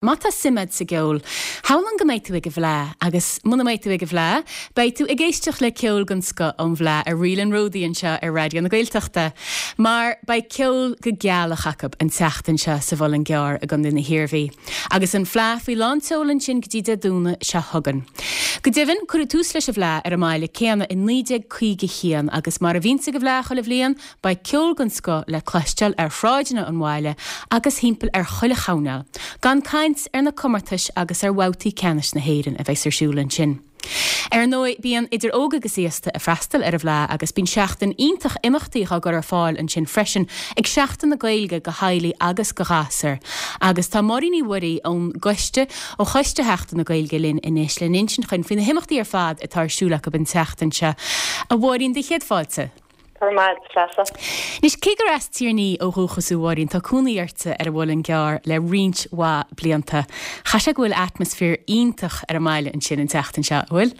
Má tá suim a'd sa gceol, shamhlóinn go mbeidh tú ag an bhFleá, agus muna mbeidh tú ag an bhFleá, beidh tú ag éisteacht le ceol den scoth ón bhFleá ar Ríl an Ródaí anseo ar Raidió na Gaeltachta, mar beidh ceol go gealach acu an tseachtain seo sa Mhuileann gCearr i gContae na hIarmhí, agus an Fleá faoi lán tseoil ansin go dtí Dé Domhnaigh seo chugainn. Go deimhin, cuireadh tús leis an bhFleá ar an mbaile céanna i 1951 agus mar a bhíonns ag an bhFleá chuile bhliain, Beidh ceol den scoth le cloisteáil ar shráideanna an bhaile agus thimpeall ar chuile choirnéal, gan caint ar na comórtais agus ar bhabhtaí ceannais na hÉireann a bheas ar siúl ansin. Ar ndóigh, bíonn idir óg agus aosta ag freastal ar an bhFleá agus bíonn seachtain iontach imeachtaí á gcur ar fáil ansin freisin ag Seachtain na Gaeilge do theaghlaigh agus do ghasúir. Agus tá Máirín Uí Mhuirí ón gcoiste, ó Choiste Sheachtain na Gaeilge linn anois le n-insint dhuinn faoi na himeachtaí ar fad atá ar siúl acu an tseachtain seo. A Mháirín, do chéad fáilte. Go raibh maith agat, Treasa. Anois, cé gur as Tír an Fhí ó dhúchas thú, a Mháirín, tá cónaí ortsa ar an Mhuileann gCearr le roinnt mhaith blianta. Chaithfidh sé go bhfuil atmaisféar iontach ar an mbaile ansin an tseachtain seo, an bhfuil?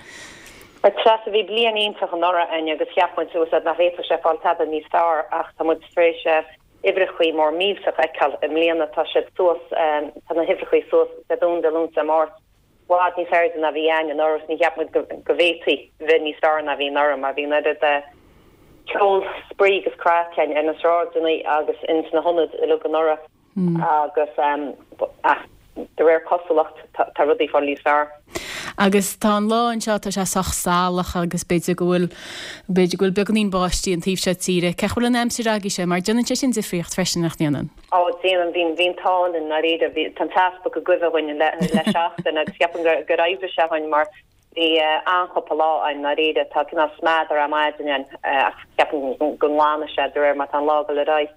A Treasa, bhí bliain iontach anuraidh againn agus cheap muid suas nach bhféadfadh sé fáil tada níos fearr ach tá muid tar éis uimhreachaí mór millteach a fheiceáil i mbliana. Tá siad suas, tá na huimhreachaí suas Dé Domhnaigh, Dé Luain, Dé Máirt. bhfad níos airde ná bhí a'ainn anuraidh agus ní cheap muid go bhféadfaí bheith níos fearr ná bhí anuraidh mar bhí an oiread ceol, spraoi agus craic a'ainn ar na sráideanna agus ins na hionaid uilig anuraidh agus ach de réir cosúlacht tá rudaí fáil níos fearr. Agus tá an lá anseo, tá sé sách salach agus b'fhéidir go bhfuil, b'fhéidir go bhfuil beagáinín báistí an taobh seo tíre. Cén chaoi a bhfuil an aimsir agaibhse mar déanann sé sin difríocht freisin, nach ndéanann? Ó, déanann, bhí, bhí an t-ádh linn, ndáiríre. Bhí, tá an teas bogtha go gcuimhe dhuinn le, le seachtain agus cheapfainn gur, gur oibrigh sé dhuinn mar bhí an-chúpla lá a'inn, ndáiríre. Tá cineál smeadar ar maidin ann ach cheapfainn go, go nglanfaidh sé de réir mar tá an lá ag dul ar aghaidh.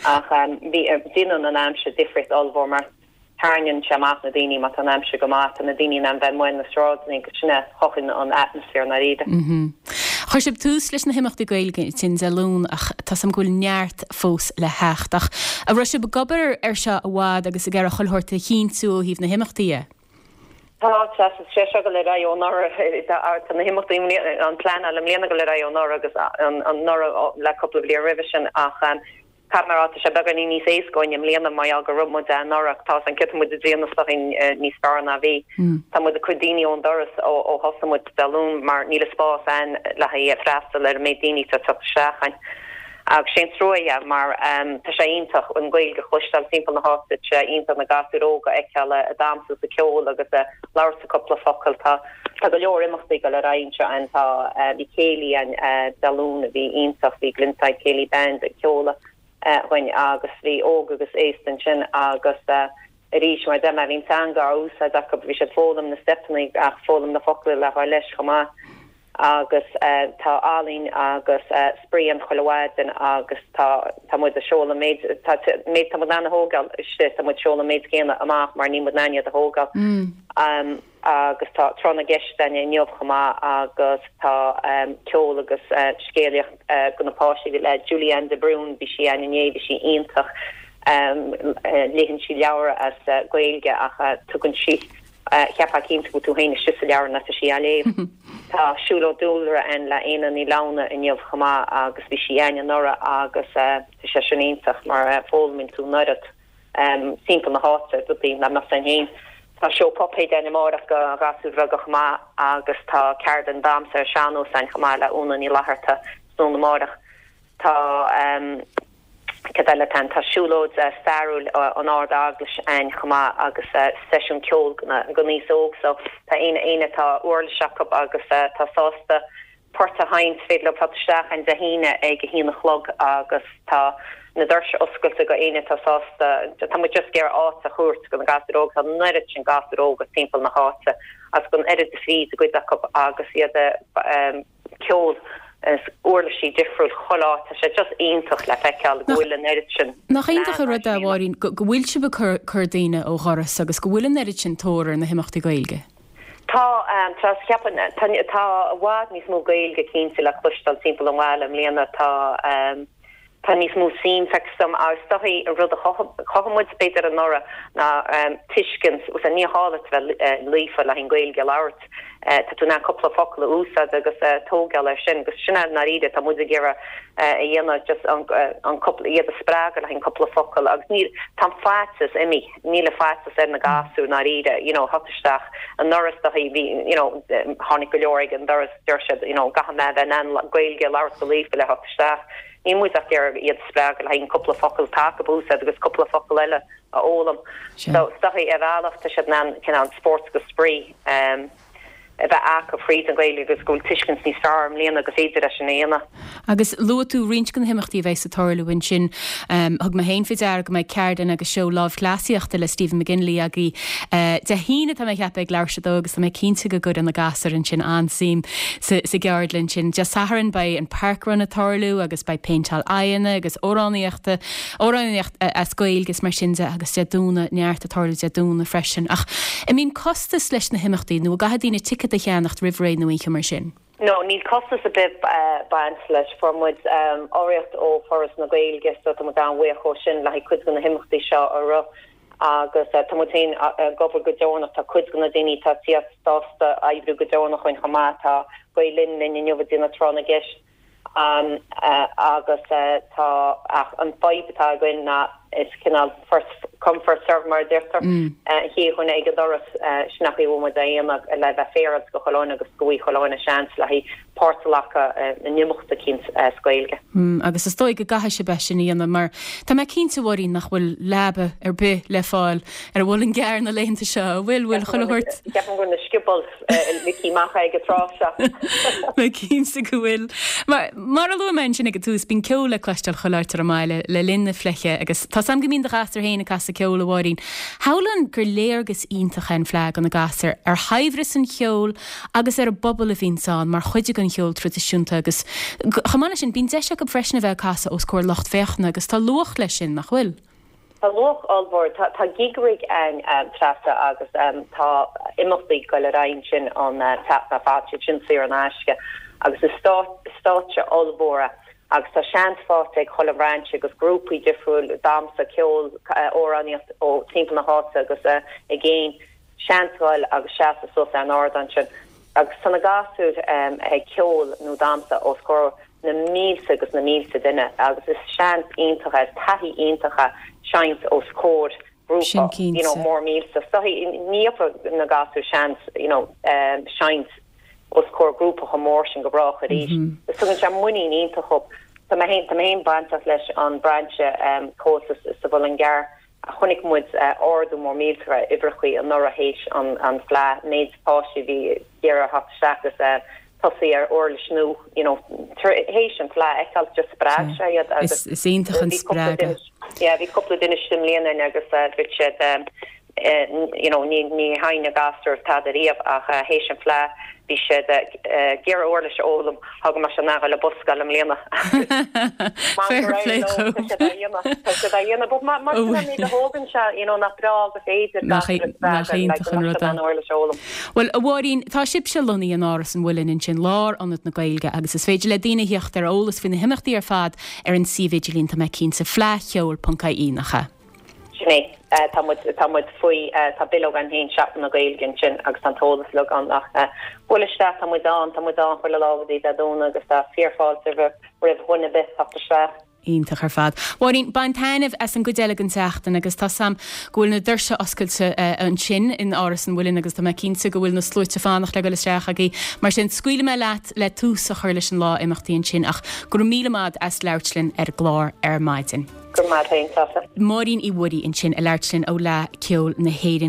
Ach bhí, déanann an aimsir difríocht ollmhór mar Tarraingíonn sé amach na daoine má tá an aimsir go maith, tá na daoine in ann bheith amuigh ar na sráideanna agus sin a chothaíonn an atmaisféar i ndáiríre. Chuir sibh tús leis na himeachtaí Gaeilge ansin Dé Luain ach tá 's a'm go bhfuil neart fós le theacht. Ach an raibh sibh ag obair ar seo i bhfad agus ag iarraidh chuile shórt a chinntiú ó thaobh na himeachtaí dhe? Tá, tá sé seo ag dul ar aghaidh ó anuraidh, tá na himeachtaí, an pleanáil i mbliana ag dul ar aghaidh ó anuraidh agus anuraidh le cúpla bliain roimhe sin ach Caithfidh mé a rá, tá sé beagáinín níos éasca dhúinn i mbliana mar gheall go raibh muid ann anuraidh. Tá an ciotas muid ag déanamh is dóichí níos fearr ná bhí. Tá muid ag cur daoine ón doras ó thosaigh muid Dé Luain mar níl an spás ann le haghaidh freastal ar an méid daoine atá ag teacht isteach ann. Agus sé an trua é mar tá sé iontach an Ghaeilge a chloisteáil timpeall na háite, tá sé iontach na gasúir óga a fheiceáil ag damhsa is ag ceol agus ag labhairt cúpla focal. Tá Tá go leor imeachtaí ag dul ar aghaidh anseo ann. Tá, bhí céilí ann Dé Luain a bhí iontach, bhí Glenside Céilí Band ag ceoladh dhuinn agus bhí óg agus aosta ansin agus arís mar a deir mé bhí an teanga á úsáid acu, bhí siad foghlaim na steipeanna ach foghlaim na focla le ghabháil leis chomh maith agus tá ealaín agus spraoi ann chuile mhaidin agus tá tá muid ag seoladh an méid tá méid tá muid in ann a thógáil istigh tá muid ag seoladh an méid céanna amach mar níl muid in ann iad a thógáil. Agus tá Tráth na gCeist againn inniu chomh maith agus tá ceol agus scéalaíocht do na páistí le Julie Ann de Brún, bhí sí ann inné, bhí sí iontach. Léann sí leabhar as Gaeilge ach tugann sí, cheapfá cinnte go bhfuil tú féin istigh sa leabhar nuair atá sí á léamh. Tá siúlóid dúlra ann le Éanna Ní Lamhna inniu chomh maith agus bhí sí ann anuraidh agus tá sé sin iontach mar foghlaimíonn tú an oiread. timpeall na háite, rudaí nach mbeadh againn féin. Tá seó puipéid ann amárach do ghasúir bheaga chomh maith agus tá ceardlann damhsa ar sean-nós ann chomh maith le Úna Ní Fhlatharta tráthnóna amárach. Tá, cad eile atá ann, tá siúlóid stairiúil an Ard Eaglais ann chomh maith agus seisiún ceoil don aos óg so tá éinne éinne atá uirlis acu agus atá sásta port a sheinnt, féidir leo teacht isteach ann Dé hAoine ag a haon a chlog agus tá na doirse oscailte go éinne atá sásta. Tá muid just ag iarraidh áit a thabhairt do na gasúir óga, tá an oiread sin gasúir óga timpeall na háite agus an oiread de spraoi i gcuid acu agus iad ag ceol is uirlisí difriúil chuile áit, tá sé just iontach le feiceáil go bhfuil an oiread sin. Nach iontach an rud é, a Mháirín, go bhfuil sibh ag cur daoine ó dhoras agus go bhfuil an oiread sin tóir ar na himeachtaí Gaeilge? Tá, tá, cheapfainn, tá, tá i bhfad níos mó Gaeilge cinnte le cloisteáil timpeall an bhaile i mbliana, tá, tá níos mó suim feicthe dom agus is dóichí an rud a chothaigh muid b'fhéidir anuraidh ná tuiscint, bhuel níor ghá duit bheith líofa le haghaidh an Ghaeilge a labhairt. Tá tú in ann cúpla focal a úsáid agus tógáil air sin agus sin é i ndáiríre atá muid ag iarraidh a dhéanamh just an an cúpla iad a spreagadh le haghaidh an cúpla focal agus níl tá an faitíos imithe níl an faitíos ar na gasúir i ndáiríre you know theacht isteach anuraidh is dóichí bhí you know tháinig go leor ag an doras deir siad you know caithfidh mé a bheith in ann Gaeilge a labhairt go líofa le theacht isteach níl muid ach ag iarraidh iad a spreagadh le haghaidh an cúpla focal atá acu a úsáid agus cúpla focal eile a fhoghlaim. So, is dóichí ar bhealach tá siad in ann cineál spórt agus spraoi a bheith acu fríd an Ghaeilge agus go bhfuil tuiscint níos fearr i mbliana go féidir leis sin a dhéanamh. Agus luaigh tú roinnt de na himeachtaí a bheas ag tarlú ansin. Thug mé féin faoi deara go mbeidh ceardlann agus seó lámhchleasaíochta le Stephen McGinley agaibh Dé hAoine, tá mé ag ceapadh, ag leathuair tar éis a dó agus tá mé cinnte go gcuirfidh na gasúir ansin an-suim sa gceardlann sin. Dé Sathairn beidh an Parkrun ag tarlú agus beidh péinteáil aghaidheanna agus amhránaíochta amhránaíocht as Gaeilge is mar sin de agus Dé Domhnaigh, neart ag tarlú Dé Domhnaigh freisin. Ach an mbíonn costas leis na himeachtaí nó an gcaithfidh daoine ticéad a cheannacht roimh ré nó aon cheo mar sin? No, níl costas ar bith baint leis. Fuair muid urraíocht ó Foras na Gaeilge so tá muid an-bhuíoch ó sin le haghaidh cuid de na himeachtaí seo a rith agus tá muid féin ag obair go deonach. Tá cuid de na daoine atá ag tíocht sásta oibriú go deonach chugainn chomh maith. Tá Gael Linn linn inniu ag déanamh tráth na gceist. Agus tá, ach an fadhb atá againn ná is cineál first come first serve mar a deirtear, an chéad dhuine ag an doras, sin an chaoi a bhfuil muid á dhéanamh le bheith féaráilte do chuile dhuine agus go bhfaighidh chuile dhuine seans le haghaidh páirt a ghlacadh in imeacht eicínt as Gaeilge. Agus is dóigh go gcaithfidh sibh é sin a dhéanamh mar tá mé cinnte, a Mháirín, nach bhfuil leaba ar bith le fáil ar an Mhuileann gCearr na laethanta seo, an bhfuil? Bhfuil chuile shórt? Ceapaim go bhfuil na sciobóil ligthe amach ag an tráth seo. Mé cinnte go bhfuil. Mar, mar a luaigh mé ansin ag an tús, bíonn ceol le cloisteáil chuile áit ar an mbaile le linn na fleidhe agus tá 's a'm go mbíonn do ghasúir féin ag casadh ceoil, a Mháirín. Shamhlóinn gur léargas iontach é an Fleadh do na gasúir ar shaibhreas an cheoil agus ar an bpobal a bhíonns ann mar chuid den cheol traidisiúnta agus chomh maith leis sin, bíonn deis acu freisin a bheith ag casadh os comhair lucht féachana agus tá luach leis sin, nach bhfuil? Tá luach ollmhór. Tá Gig Rig ann Treasa agus tá imeachtaí ag goil ar aghaidh ansin an tseachtain ar fad, siad sin saor in aisce agus is stáitse ollmhór é agus tá seans faighte ag chuile bhrainse agus grúpaí difriúil, damhsa, ceol, amhránaíocht ó timpeall na háite agus i gcéin, seans dhul agus seasamh suas ar an ardán sin. Agus tá na gasúir ag ceol nó damhsa os comhair na mílte agus na mílte duine agus is seans iontach é, is taithí iontach é seinnt os comhair Sin grúpa you know cinnte. mór mílte. So ní gheobhaidh na gasúir seans you know seinnt os comhair grúpa chomh mór sin go brách arís. Is tugann sé muinín iontach dhóibh. Tá mé féin tá mé féin bainteach leis an brainse Comhaltas sa Mhuileann gCearr. Chonaic muid ardú mór millteach ar uimhreachaí anuraidh théis an Fleadh, méid páistí a bhí ag iarraidh theacht isteach agus tosaí ar uirlis nua, you know, théis an Fleadh a fheiceáil, just spreag sé iad agus Is iontach an bhí cúpla spreagadh. duine, yeah, bhí cúpla duine istigh i mbliana againn agus dúirt siad you know, ní sheinn na gasúir tada riamh ach théis an Fleadh bhí siad ag iarraidh uirlis a fhoghlaim, tá go mbeidh siad in ann a dhul ar busscoil i mbliana. Fair play Tá siad á dhéanamh, tá siad á dhéanamh, but mar sin an méid a thógann sé, you know, nach breá go féidir Nach gasúir a nach spreagadh, like, iontach go an mbeadh rud siad in é. ann uirlis a fhoghlaim. Bhuel, a Mháirín, tá sibhse lonnaithe in Áras an Mhuilinn ansin, lárionad na Gaeilge, agus is féidir le daoine theacht ar eolas faoi na himeachtaí ar fad ar an suíomh idirlín, tá mé cinnte, fleadhcheoil.ie, nach ea? Sin é. Tá muid, tá muid faoi, tá bileog againn féin, Seachtain na Gaeilge ansin agus tá an t-eolas uilig ann ach buail isteach, tá muid ann, tá muid ann chuile lá go dtí Dé Domhnaigh agus tá fíorfháilte roimh dhuine ar bith teacht isteach. Iontach ar fad. Mháirín, bain taitneamh as an gcuid eile den tseachtain agus tá 's a'm go bhfuil na doirse oscailte ansin in Áras an Mhuilinn agus tá mé cinnte go bhfuil na sluaite fanacht le dul isteach agaibh. Mar sin, scaoilfidh mé leat le tús a chur leis an lá imeachtaí ansin ach go raibh míle maith as labhairt linn ar an gclár ar maidin. Go raibh maith agat féin, Treasa. Máirín Uí Mhuirí ansin ag labhairt linn ó Fhleadh Ceoil na hÉireann.